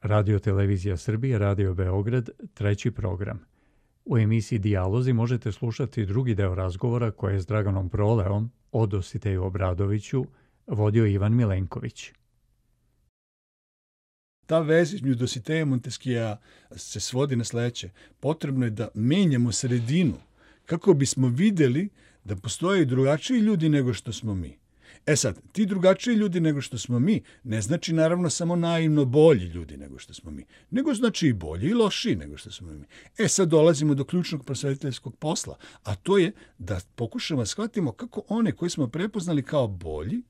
Radio Televizija Srbije, Radio Beograd, treći program. U emisiji Dijalozi možete slušati drugi deo razgovora koje je s Draganom Proleom o Dositeju Obradoviću vodio Ivan Milenković. Ta veza između Dositeja i Monteskija se svodi na sledeće. Potrebno je da menjamo sredinu kako bismo videli da postoje i drugačiji ljudi nego što smo mi. E sad, ti drugačiji ljudi nego što smo mi ne znači naravno samo naivno bolji ljudi nego što smo mi, nego znači i bolji i lošiji nego što smo mi. E sad dolazimo do ključnog prosvetiteljskog posla, a to je da pokušamo da shvatimo kako one koje smo prepoznali kao bolji,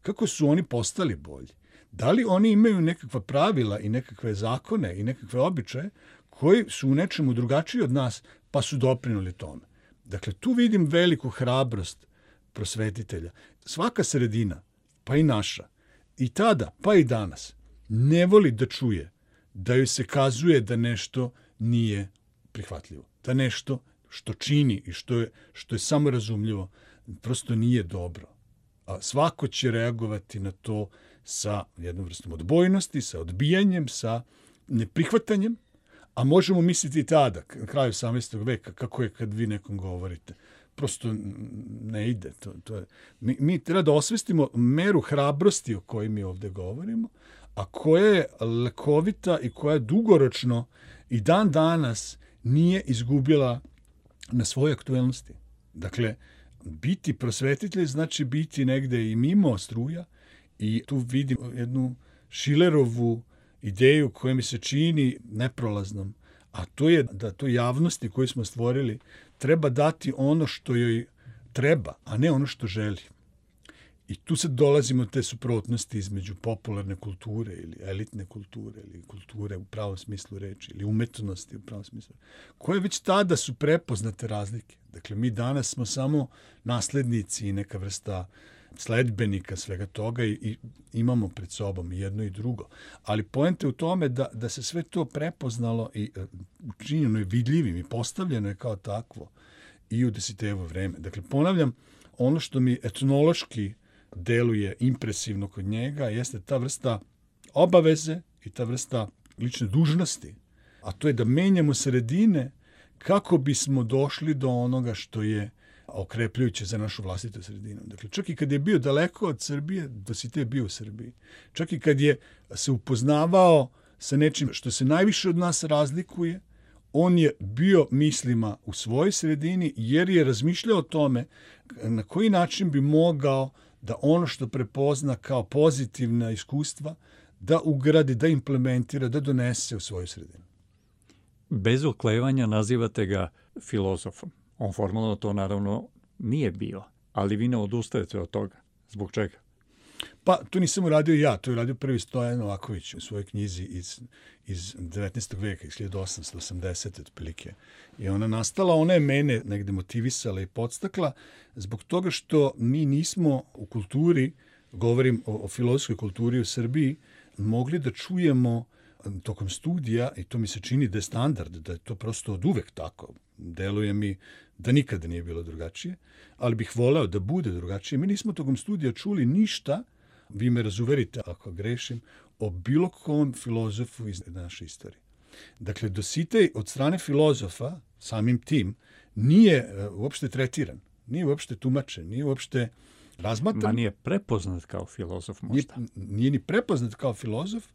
kako su oni postali bolji. Da li oni imaju nekakva pravila i nekakve zakone i nekakve običaje koji su u nečemu drugačiji od nas pa su doprinuli tome. Dakle, tu vidim veliku hrabrost prosvetitelja. Svaka sredina, pa i naša, i tada, pa i danas, ne voli da čuje da joj se kazuje da nešto nije prihvatljivo. Da nešto što čini i što je samorazumljivo prosto nije dobro. A svako će reagovati na to sa jednom vrstom odbojnosti, sa odbijanjem, sa neprihvatanjem, a možemo misliti i tada, na kraju 18. veka, kako je kad vi nekom govorite. Prosto ne ide. Mi treba da osvestimo meru hrabrosti o kojoj mi ovde govorimo, a koja je lekovita i koja dugoročno i dan danas nije izgubila na svojoj aktuelnosti. Dakle, biti prosvetitelj znači biti negde i mimo struja i tu vidim jednu Šilerovu ideju koja mi se čini neprolaznom, a to je da toj javnosti koju smo stvorili treba dati ono što joj treba, a ne ono što želi. I tu sad dolazimo te suprotnosti između popularne kulture ili elitne kulture ili kulture u pravom smislu reči ili umetnosti u pravom smislu reči, koje već tada su prepoznate razlike. Dakle, mi danas smo samo naslednici i neka vrsta sledbenika svega toga i imamo pred sobom i jedno i drugo. Ali poenta je u tome da se sve to prepoznalo i učinjeno je vidljivim i postavljeno je kao takvo i u Dositejevo vreme. Dakle, ponavljam, ono što mi etnološki deluje impresivno kod njega jeste ta vrsta obaveze i ta vrsta lične dužnosti, a to je da menjamo sredine kako bismo došli do onoga što je okrepljujuće za našu vlastitu sredinu. Dakle, čak i kad je bio daleko od Srbije, Dositej je bio u Srbiji. Čak i kad je se upoznavao sa nečim što se najviše od nas razlikuje, on je bio mislima u svojoj sredini jer je razmišljao o tome na koji način bi mogao da ono što prepozna kao pozitivna iskustva da ugradi, da implementira, da donese u svoju sredinu. Bez oklevanja nazivate ga filozofom. On formalno to naravno nije bio, ali vi ne odustajete od toga. Zbog čega? Pa, to nisam uradio ja, to je uradio prvi Stojan Novaković u svojoj knjizi iz 19. veka, iz 1880. otprilike. I ona nastala, ona je mene negde motivisala i podstakla zbog toga što mi nismo u kulturi, govorim o filozofskoj kulturi u Srbiji, mogli da čujemo tokom studija, i to mi se čini da je standard, da je to prosto od uvek tako. Deluje mi da nikada nije bilo drugačije, ali bih voleo da bude drugačije. Mi nismo tokom studija čuli ništa, vi me razuverite ako grešim, o bilo kom filozofu iz naše istorije. Dakle, Dositej od strane filozofa, samim tim, nije uopšte tretiran, nije uopšte tumačen, nije uopšte razmatran. Ma nije prepoznat kao filozof možda. Nije ni prepoznat kao filozof,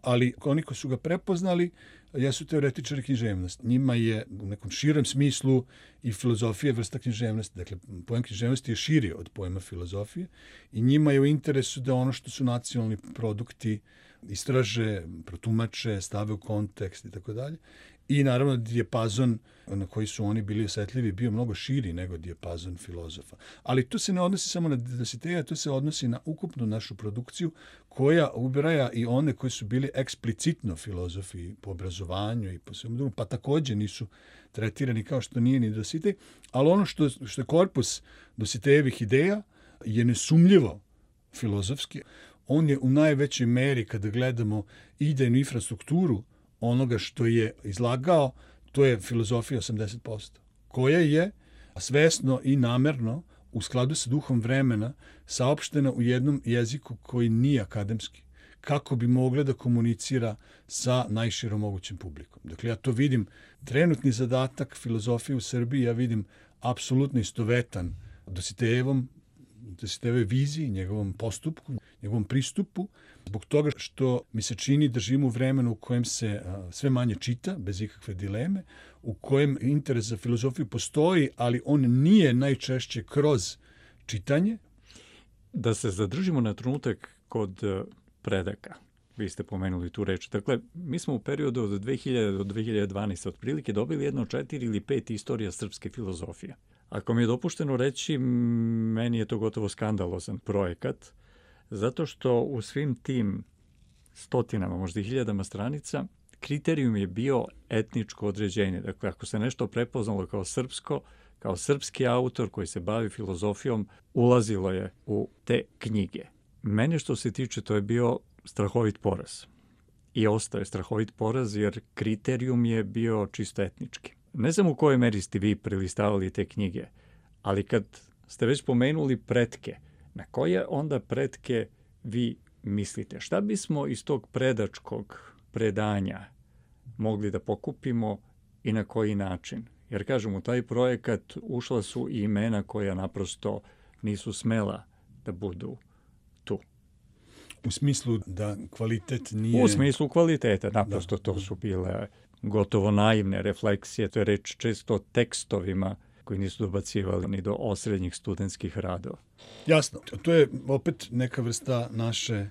ali oni koji su ga prepoznali jesu teoretičari književnosti. Njima je u nekom širem smislu i filozofija vrsta književnosti. Dakle, pojam književnosti je širi od pojma filozofije i njima je u interesu da ono što su nacionalni produkti istraže, protumače, stave u kontekst i tako dalje. I naravno dijapazon na koji su oni bili osetljivi bio mnogo širi nego dijapazon filozofa. Ali to se ne odnosi samo na Dositeja, to se odnosi na ukupnu našu produkciju koja ubraja i one koji su bili eksplicitno filozofi po obrazovanju i po svemu drugom, pa takođe nisu tretirani kao što nije ni Dositej, ali ono što je korpus Dositejevih ideja je nesumljivo filozofski. On je u najvećoj meri, kada gledamo idejnu infrastrukturu onoga što je izlagao, to je filozofija 80%, koja je svesno i namerno u skladu sa duhom vremena saopštena u jednom jeziku koji nije akademski, kako bi mogle da komunicira sa najširom mogućim publikom. Dakle, ja to vidim, trenutni zadatak filozofije u Srbiji, ja vidim apsolutno istovetan Dositejevoj viziji, njegovom postupku, njegovom pristupu, zbog toga što mi se čini da živimo u vremenu u kojem se sve manje čita, bez ikakve dileme, u kojem interes za filozofiju postoji, ali on nije najčešće kroz čitanje. Da se zadržimo na trenutak kod predaka. Vi ste pomenuli tu reč. Dakle, mi smo u periodu od 2000 do 2012. otprilike dobili jedno 4 ili 5 istorija srpske filozofije. Ako mi je dopušteno reći, meni je to gotovo skandalozan projekat, zato što u svim tim stotinama, možda i hiljadama stranica, kriterijum je bio etničko određenje. Dakle, ako se nešto prepoznalo kao srpsko, kao srpski autor koji se bavi filozofijom, ulazilo je u te knjige. Mene što se tiče, to je bio strahovit poraz. I ostao je strahovit poraz jer kriterijum je bio čisto etnički. Ne znam u kojoj meri ste vi prelistavali te knjige, ali kad ste već pomenuli pretke, na koje onda pretke vi mislite? Šta bismo iz tog predačkog predanja mogli da pokupimo i na koji način? Jer kažem, u taj projekat ušla su i imena koja naprosto nisu smela da budu tu. U smislu da kvalitet nije... U smislu kvaliteta, naprosto to su bile gotovo naivne refleksije. To je reč često o tekstovima koji nisu dobacivali ni do osrednjih studentskih radova. Jasno, to je opet neka vrsta naše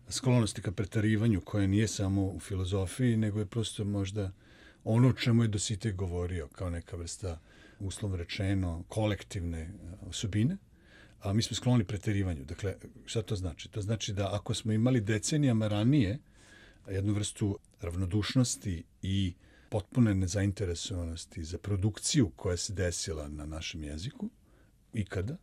sklonosti ka pretarivanju, koja nije samo u filozofiji, nego je prosto možda ono o čemu je Dositej govorio, kao neka vrsta, uslovno rečeno, kolektivne osobine. A mi smo skloni preterivanju. Dakle, šta to znači? To znači da ako smo imali decenijama ranije jednu vrstu ravnodušnosti i potpune nezainteresovanosti za produkciju koja se desila na našem jeziku, ikada,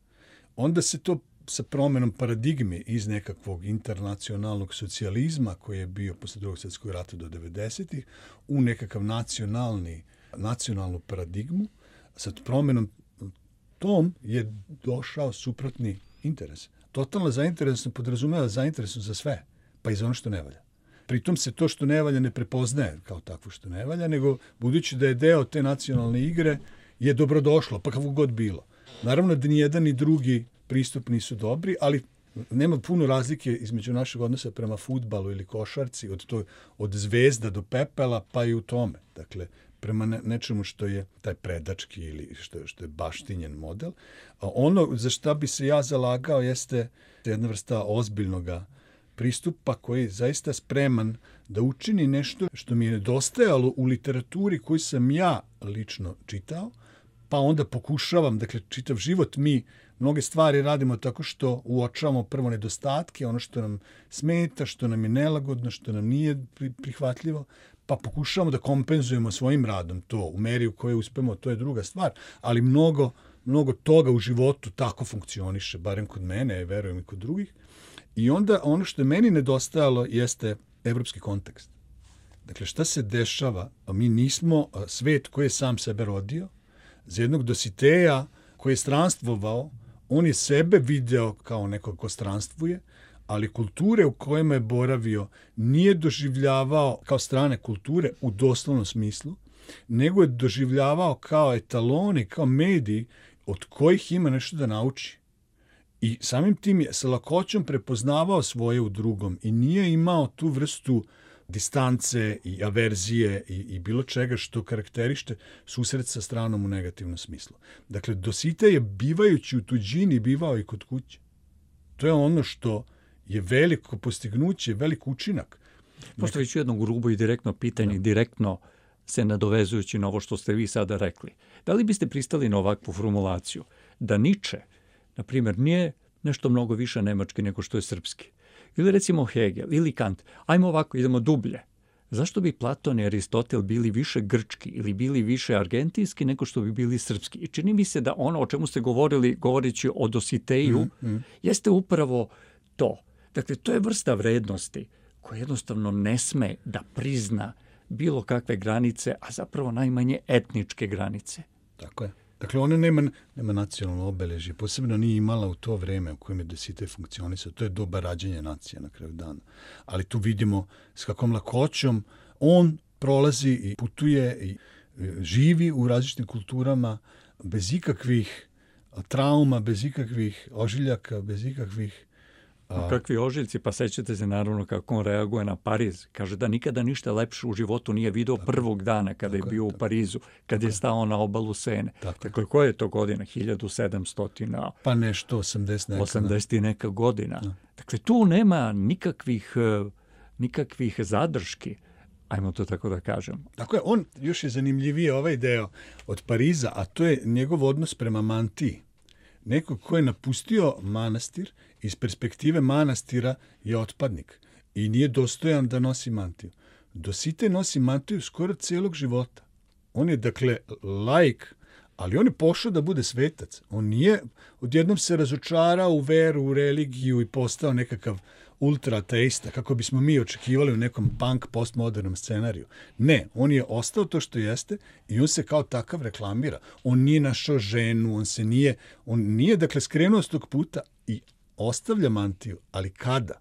onda se to sa promenom paradigme iz nekakvog internacionalnog socijalizma koji je bio posle drugog svjetskog rata do 90-ih u nekakav nacionalnu paradigmu, sa promenom tom je došao suprotni interes. Totalna zainteresnost podrazumeva zainteresnost za sve, pa i za ono što ne valja. Pritom se to što ne valja ne prepoznaje kao takvo što ne valja, nego budući da je deo te nacionalne igre je dobrodošlo, pa kako god bilo. Naravno da ni jedan ni drugi pristup nisu dobri, ali nema puno razlike između našeg odnosa prema fudbalu ili košarci, od zvezda do pepela, pa i u tome. Dakle, prema nečemu što je taj predački ili što je baštinjen model. A ono za šta bi se ja zalagao jeste jedna vrsta ozbiljnog pristupa koji je zaista spreman da učini nešto što mi je nedostajalo u literaturi koju sam ja lično čitao, pa onda pokušavam, dakle, čitav život mi mnoge stvari radimo tako što uočavamo prvo nedostatke, ono što nam smeta, što nam je nelagodno, što nam nije prihvatljivo, pa pokušavamo da kompenzujemo svojim radom to. U meri u kojoj uspemo, to je druga stvar, ali mnogo toga u životu tako funkcioniše, barem kod mene, verujem i kod drugih. I onda ono što je meni nedostajalo jeste evropski kontekst. Dakle, šta se dešava? Mi nismo svet koji je sam sebe rodio. Za jednog Dositeja koji je stranstvovao, on je sebe video kao nekog ko stranstvuje, ali kulture u kojima je boravio nije doživljavao kao strane kulture u doslovnom smislu, nego je doživljavao kao etaloni, kao mediji od kojih ima nešto da nauči. I samim tim je sa lakoćom prepoznavao svoje u drugom i nije imao tu vrstu distance i averzije i bilo čega što karakteriše susret sa stranom u negativnom smislu. Dakle, Dositej je bivajući u tuđini bivao i kod kuće. To je ono što je veliko postignuće, velik učinak. Postaviću jedno grubo i direktno pitanje, direktno se nadovezujući na ovo što ste vi sada rekli. Da li biste pristali na ovakvu formulaciju? Da Nietzsche, na primjer, nije nešto mnogo više nemački nego što je srpski. Ili recimo Hegel, ili Kant. Ajmo ovako, idemo dublje. Zašto bi Platon i Aristotel bili više grčki ili bili više argentinski nego što bi bili srpski? I čini mi se da ono o čemu ste govorili, govoreći o Dositeju, jeste upravo to. Dakle, to je vrsta vrednosti koja jednostavno ne sme da prizna bilo kakve granice, a zapravo najmanje etničke granice. Tako je. Dakle, ona nema nacionalno obeležje, posebno nije imala u to vreme u kojem je Dositej funkcionisao. To je doba rađanja nacije na kraju dana. Ali tu vidimo s kakvom lakoćom on prolazi i putuje i živi u različitim kulturama bez ikakvih trauma, bez ikakvih ožiljaka, bez ikakvih... Kakvi ožiljci, pa sećate se naravno kako on reaguje na Pariz. Kaže da nikada ništa lepše u životu nije video prvog dana kada je bio u Parizu, kad je stao na obalu Sene. Dakle, koja je to godina? 1700? Pa nešto, 80 neka godina. Dakle, tu nema nikakvih zadrški. Ajmo to tako da kažem. Dakle, on još je zanimljivije ovaj deo od Pariza, a to je njegov odnos prema mantiji. Neko ko je napustio manastir, iz perspektive manastira je otpadnik i nije dostojan da nosi mantiju. Dositej nosi mantiju skoro celog života. On je, dakle, laik, ali on je pošao da bude svetac. On nije odjednom se razočarao u veru, u religiju i postao nekakav ultra-ateista, kako bismo mi očekivali u nekom punk postmodernom scenariju. Ne, on je ostao to što jeste i on se kao takav reklamira. On nije našao ženu, on nije dakle skrenuo s tog puta i ostavlja mantiju, ali kada?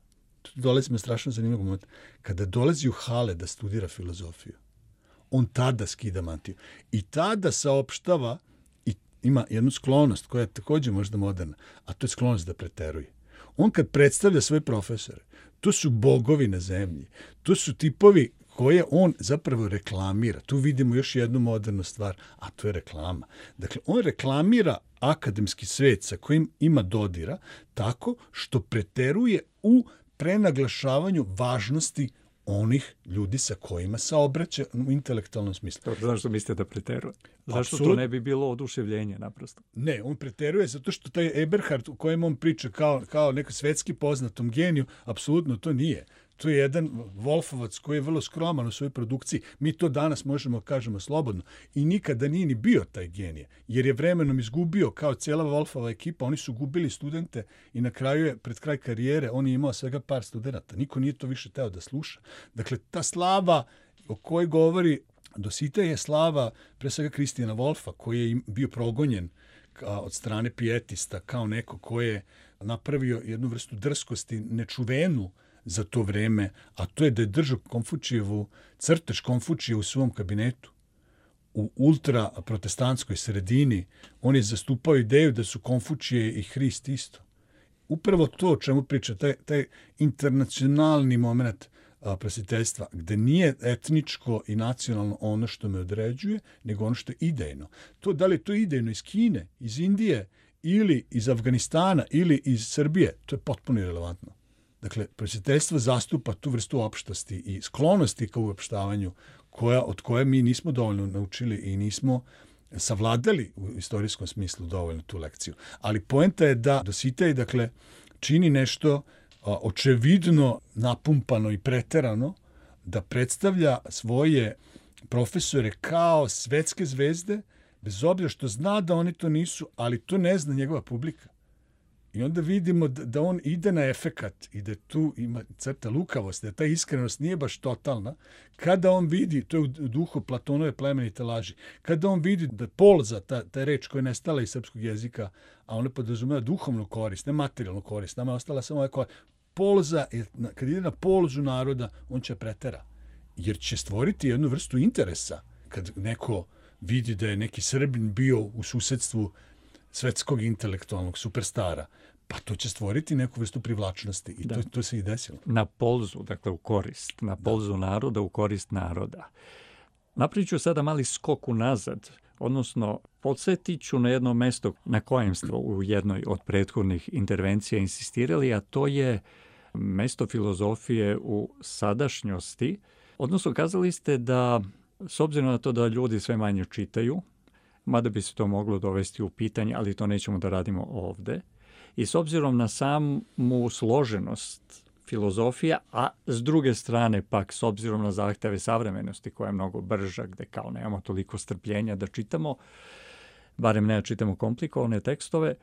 Tu dolazimo strašno zanimljivog momenta. Kada dolazi u Hale da studira filozofiju, on tada skida mantiju i tada saopštava i ima jednu sklonost koja je također možda moderna, a to je sklonost da preteruje. On kad predstavlja svoje profesore, to su bogovi na zemlji, to su tipovi koje on zapravo reklamira. Tu vidimo još jednu modernu stvar, a to je reklama. Dakle, on reklamira akademski svet sa kojim ima dodira tako što preteruje u prenaglašavanju važnosti onih ljudi sa kojima se obraća u intelektualnom smislu. Zašto mislite da preteruje? Zašto to ne bi bilo oduševljenje naprosto? Ne, on preteruje zato što taj Eberhard u kojem on priča kao neko svetski poznatom geniju, apsolutno to nije. To je jedan Wolfovac koji je vrlo skroman u svojoj produkciji. Mi to danas možemo kažemo slobodno. I nikada nije ni bio taj genije, jer je vremenom izgubio kao cijela Wolfova ekipa. Oni su gubili studente i na kraju je, pred kraj karijere, on je imao svega par studenta. Niko nije to više teo da sluša. Dakle, ta slava o kojoj govori Dositej je slava pre svega Kristijana Wolfa, koji je bio progonjen od strane pijetista kao neko ko je napravio jednu vrstu drskosti nečuvenu za to vreme, a to je da je držao Konfučijevu, crtež Konfučije u svom kabinetu. U ultraprotestantskoj sredini on je zastupao ideju da su Konfučije i Hrist isto. Upravo to o čemu priča, taj internacionalni moment prosvjetiteljstva, gde nije etničko i nacionalno ono što me određuje, nego ono što je idejno. To, da li je to idejno iz Kine, iz Indije, ili iz Afganistana, ili iz Srbije, to je potpuno irelevantno. Dakle, prosvjetiteljstvo zastupa tu vrstu opštosti i sklonosti ka uopštavanju od koje mi nismo dovoljno naučili i nismo savladali u istorijskom smislu dovoljno tu lekciju. Ali poenta je da Dositej, dakle, čini nešto očevidno napumpano i preterano, da predstavlja svoje profesore kao svetske zvezde, bez obzira što zna da oni to nisu, ali to ne zna njegova publika. I onda vidimo da on ide na efekat i da tu ima crta lukavosti, da ta iskrenost nije baš totalna. Kada on vidi, to je u duhu Platonove plemenite laži, kada on vidi da polza, ta reč koja je nestala iz srpskog jezika, a ona podrazumeva duhovnu korist, ne materijalnu korist, nama je ostala samo ova polza, kad ide na polzu naroda, on će pretera. Jer će stvoriti jednu vrstu interesa. Kad neko vidi da je neki Srbin bio u susedstvu svetskog intelektualnog superstara, pa to će stvoriti neku vrstu privlačnosti i to se i desilo. Na polzu, dakle u korist, na polzu naroda, u korist naroda. Napravit ću sada mali skok unazad, odnosno podsjetit ću na jedno mesto na kojem ste u jednoj od prethodnih intervencija insistirali, a to je mesto filozofije u sadašnjosti. Odnosno, kazali ste da, s obzirom na to da ljudi sve manje čitaju, mada bi se to moglo dovesti u pitanje, ali to nećemo da radimo ovde. I s obzirom na samu složenost filozofija, a s druge strane pak s obzirom na zahteve savremenosti koja je mnogo brža, gde kao nemamo toliko strpljenja da čitamo, barem ne čitamo komplikovane tekstove,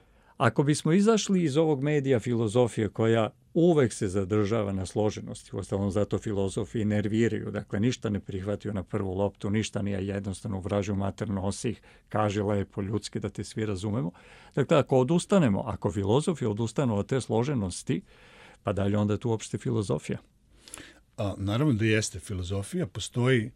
Ako bismo izašli iz ovog medija filozofije koja uvek se zadržava na složenosti, uostalom zato filozofi nerviraju, dakle ništa ne prihvatio na prvu loptu, ništa nije jednostavno u vražju mater nosih, kaže lepo ljudski da te svi razumemo. Dakle, ako odustanemo, ako filozofi odustanu od te složenosti, pa dalje onda je tu uopšte filozofija. Naravno da jeste filozofija, postoji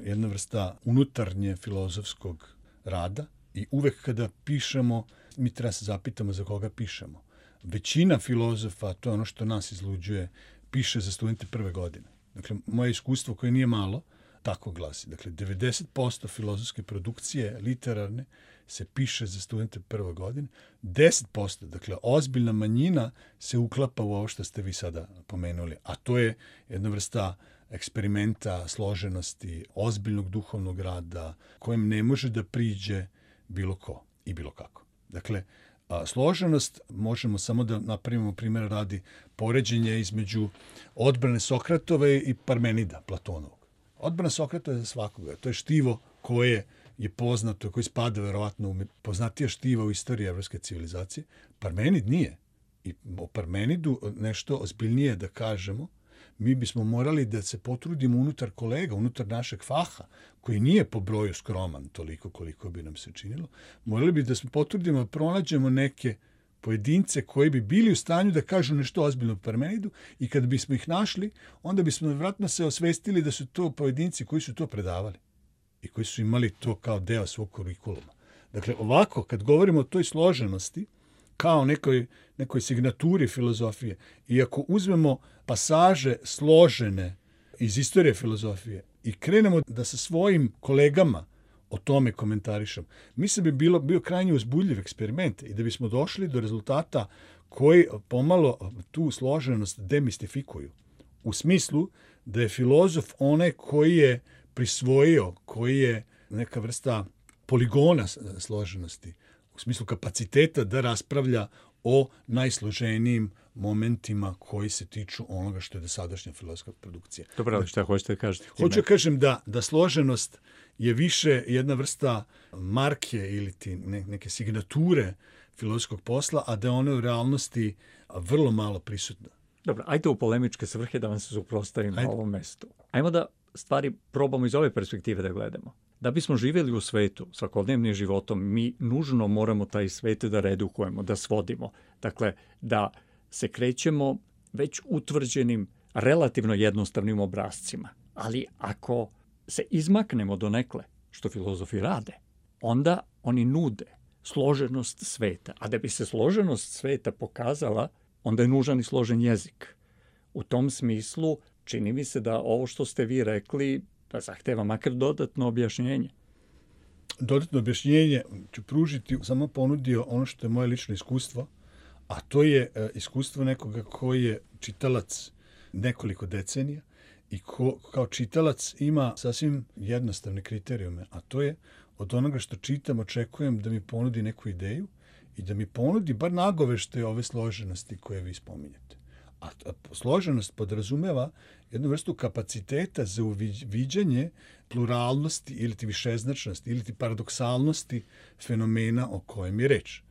jedna vrsta unutarnje filozofskog rada i uvek kada pišemo, mi treba se zapitamo za koga pišemo. Većina filozofa, to je ono što nas izluđuje, piše za studente prve godine. Dakle, moje iskustvo koje nije malo, tako glasi. Dakle, 90% filozofske produkcije literarne se piše za studente prve godine. 10%, dakle, ozbiljna manjina se uklapa u ovo što ste vi sada pomenuli. A to je jedna vrsta eksperimenta, složenosti, ozbiljnog duhovnog rada, kojem ne može da priđe bilo ko i bilo kako. Dakle, složenost možemo samo da napravimo primjer radi poređenje između odbrane Sokratove i Parmenida, Platonovog. Odbrana Sokrata je za svakoga. To je štivo koje je poznato, koji spada verovatno u poznatija štiva u istoriji evropske civilizacije. Parmenid nije. I o Parmenidu nešto ozbiljnije da kažemo, mi bismo morali da se potrudimo unutar kolega, unutar našeg faha, koji nije po broju skroman toliko koliko bi nam se činilo, morali bi da se potrudimo da pronađemo neke pojedince koji bi bili u stanju da kažu nešto ozbiljno o Parmenidu i kad bismo ih našli, onda bismo vjerojatno se osvestili da su to pojedinci koji su to predavali i koji su imali to kao deo svog kurikuluma. Dakle, ovako, kad govorimo o toj složenosti, kao nekoj signaturi filozofije, i ako uzmemo pasaže složene iz istorije filozofije i krenemo da sa svojim kolegama o tome komentarišem, mislim bi bio krajnje uzbudljiv eksperiment i da bismo došli do rezultata koji pomalo tu složenost demistifikuju. U smislu da je filozof onaj koji je prisvojio, koji je neka vrsta poligona složenosti, u smislu kapaciteta da raspravlja o najsloženijim momentima koji se tiču onoga što je dosadašnja filozofska produkcija. Dobro, ali šta hoćete da kažete? Hoću da kažem da složenost je više jedna vrsta marke ili neke signature filozofskog posla, a da je ona u realnosti vrlo malo prisutna. Dobro, ajde u polemičke svrhe da vam se suprotstavim na ovom mestu. Ajmo da stvari probamo iz ove perspektive da gledamo. Da bismo živjeli u svetu, svakodnevnim životom, mi nužno moramo taj svet da redukujemo, da svodimo. Dakle, da se krećemo već utvrđenim, relativno jednostavnim obrascima. Ali ako se izmaknemo donekle, što filozofi rade, onda oni nude složenost sveta. A da bi se složenost sveta pokazala, onda je nužan i složen jezik. U tom smislu, čini mi se da ovo što ste vi rekli zahteva makar dodatno objašnjenje. Dodatno objašnjenje ću pružiti, samo ponudio ono što je moje lično iskustvo, a to je iskustvo nekoga koji je čitalac nekoliko decenija i ko kao čitalac ima sasvim jednostavne kriterijume, a to je od onoga što čitam očekujem da mi ponudi neku ideju i da mi ponudi bar nagoveštaje ove složenosti koje vi spominjete. A složenost podrazumeva jednu vrstu kapaciteta za uviđanje pluralnosti ili ti višeznačnosti ili ti paradoksalnosti fenomena o kojem je reč.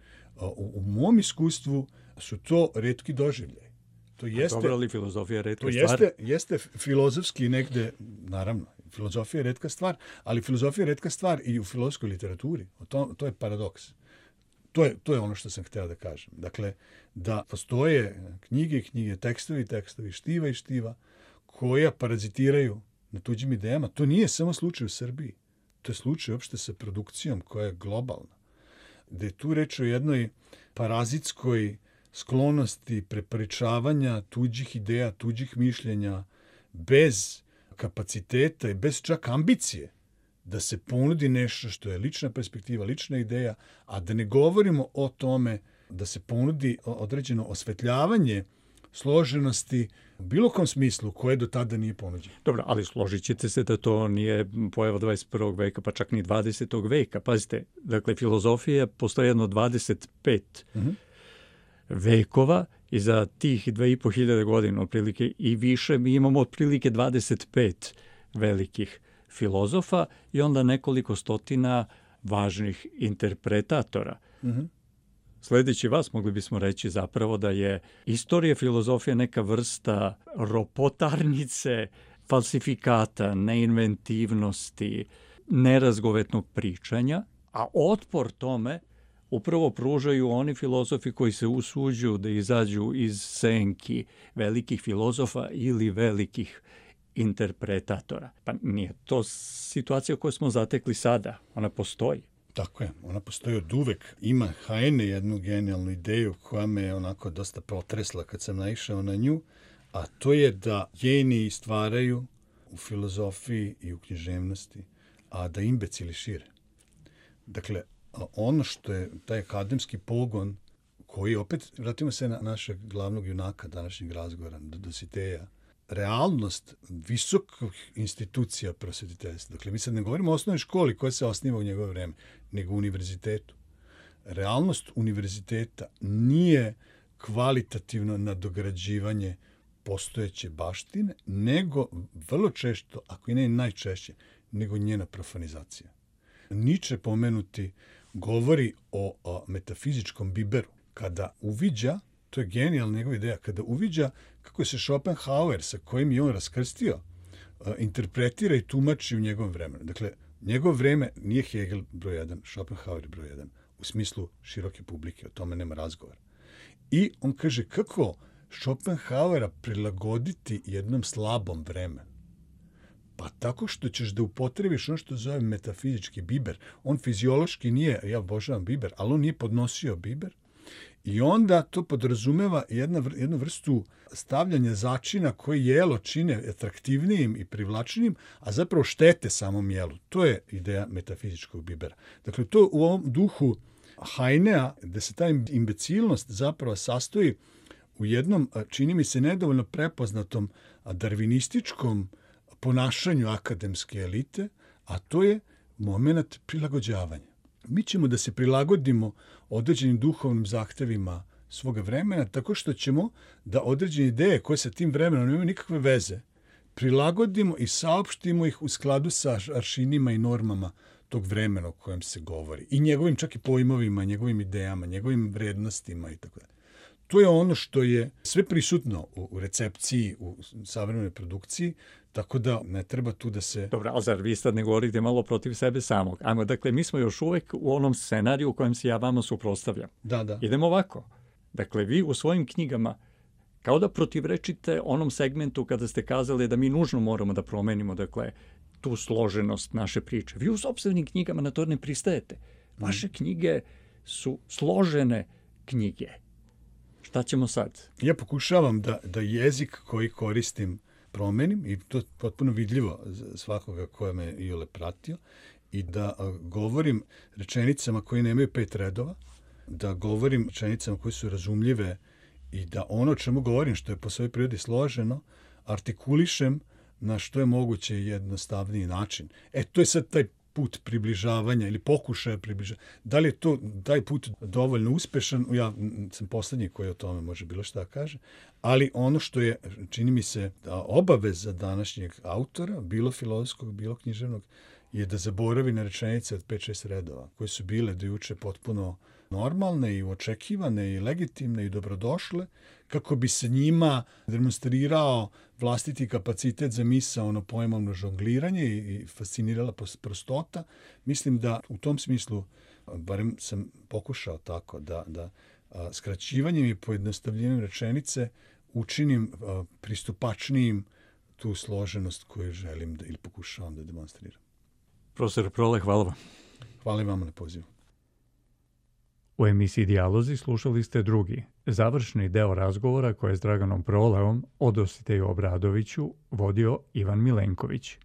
U mom iskustvu su to retki doživljaj. To jeste, dobro, ali filozofija je retka stvar. To jeste filozofski negde, naravno, filozofija je retka stvar, ali filozofija je retka stvar i u filozofskoj literaturi. To je paradoks. To je ono što sam htio da kažem. Dakle, da postoje knjige, tekstovi, štiva i štiva, koja parazitiraju na tuđim idejama. To nije samo slučaj u Srbiji. To je slučaj uopšte sa produkcijom koja je globalna. Da je tu reč o jednoj parazitskoj sklonosti prepričavanja tuđih ideja, tuđih mišljenja, bez kapaciteta i bez čak ambicije da se ponudi nešto što je lična perspektiva, lična ideja, a da ne govorimo o tome da se ponudi određeno osvetljavanje složenosti u bilo kom smislu koje do tada nije ponuđeno. Dobro, ali složit ćete se da to nije pojava 21. veka, pa čak ni 20. veka. Pazite, dakle, filozofija postoji jedno 25 vekova i za tih 2500 godina otprilike i više mi imamo otprilike 25 velikih filozofa i onda nekoliko stotina važnih interpretatora. Sledeći vas mogli bismo reći zapravo da je istorija filozofije neka vrsta ropotarnice, falsifikata, neinventivnosti, nerazgovetnog pričanja, a otpor tome upravo pružaju oni filozofi koji se usuđuju da izađu iz senki velikih filozofa ili velikih interpretatora. Pa nije to situacija koju smo zatekli sada. Ona postoji. Tako je, ona postoji od uvek. Ima Heine jednu genijalnu ideju koja me je onako dosta potresla kad sam naišao na nju, a to je da geniji stvaraju u filozofiji i u književnosti, a da imbecili šire. Dakle, ono što je taj akademski pogon koji, opet, vratimo se na našeg glavnog junaka današnjeg razgovora, Dositeja, realnost visokih institucija prosvetiteljstva. Dakle, mi sad ne govorimo o osnovnoj školi koja se osniva u njegovo vreme, nego u univerzitetu. Realnost univerziteta nije kvalitativno nadograđivanje postojeće baštine, nego vrlo često, ako i ne najčešće, nego njena profanizacija. Nietzsche pomenuti govori o metafizičkom biberu. Kada uviđa, to je genijalna njegova ideja, kada uviđa kako se Schopenhauer, sa kojim je on raskrstio, interpretira i tumači u njegovom vremenu. Dakle, njegovo vreme nije Hegel broj 1, Schopenhauer broj 1, u smislu široke publike, o tome nema razgovora. I on kaže kako Schopenhauera prilagoditi jednom slabom vremenu. Pa tako što ćeš da upotrebiš ono što zove metafizički biber. On fiziološki nije, ja obožavam biber, ali on nije podnosio biber. I onda to podrazumeva jednu vrstu stavljanja začina koji jelo čine atraktivnijim i privlačnijim, a zapravo štete samom jelu. To je ideja metafizičkog bibera. Dakle, to u ovom duhu Heinea, da se ta imbecilnost zapravo sastoji u jednom, čini mi se, nedovoljno prepoznatom darvinističkom ponašanju akademske elite, a to je moment prilagođavanja. Mi ćemo da se prilagodimo određenim duhovnim zahtevima svoga vremena tako što ćemo da određene ideje koje sa tim vremenom nemaju nikakve veze prilagodimo i saopštimo ih u skladu sa aršinima i normama tog vremena o kojem se govori. I njegovim čak i pojmovima, njegovim idejama, njegovim vrednostima i tako dalje. To je ono što je sve prisutno u recepciji, u savremenoj produkciji, tako da ne treba tu da se... Dobro, ali zar vi sad ne govorite malo protiv sebe samog? Ajmo, dakle, mi smo još uvek u onom scenariju u kojem se ja vama suprotstavljam. Da. Idemo ovako. Dakle, vi u svojim knjigama kao da protivrečite onom segmentu kada ste kazali da mi nužno moramo da promenimo, dakle, tu složenost naše priče. Vi u sopstvenim knjigama na to ne pristajete. Vaše knjige su složene knjige. Šta ćemo sad? Ja pokušavam da jezik koji koristim promenim i to je potpuno vidljivo svakoga koja me iole pratio i da govorim rečenicama koje nemaju 5 redova, da govorim rečenicama koje su razumljive i da ono o čemu govorim, što je po svojoj prirodi složeno, artikulišem na što je moguće jednostavniji način. To je sad taj put približavanja ili pokušaja približavanja. Da li je to taj put dovoljno uspešan? Ja sam poslednji koji o tome može bilo šta kaže, ali ono što je, čini mi se, obaveza današnjeg autora, bilo filozofskog, bilo književnog, je da zaboravi na rečenice od 5-6 redova, koje su bile do juče potpuno normalne i očekivane i legitimne i dobrodošle, kako bi se njima demonstrirao vlastiti kapacitet za misaono pojmovno žongliranje i fascinirala prostota. Mislim da u tom smislu, barem sam pokušao tako, da skraćivanjem i pojednostavljenjem rečenice učinim pristupačnijim tu složenost koju želim ili pokušavam da demonstriram. Profesor Prole, hvala vam. Hvala vam na pozivu. U emisiji Dijalozi slušali ste drugi, završni deo razgovora koje je s Draganom Proleom o Dositeju Obradoviću vodio Ivan Milenković.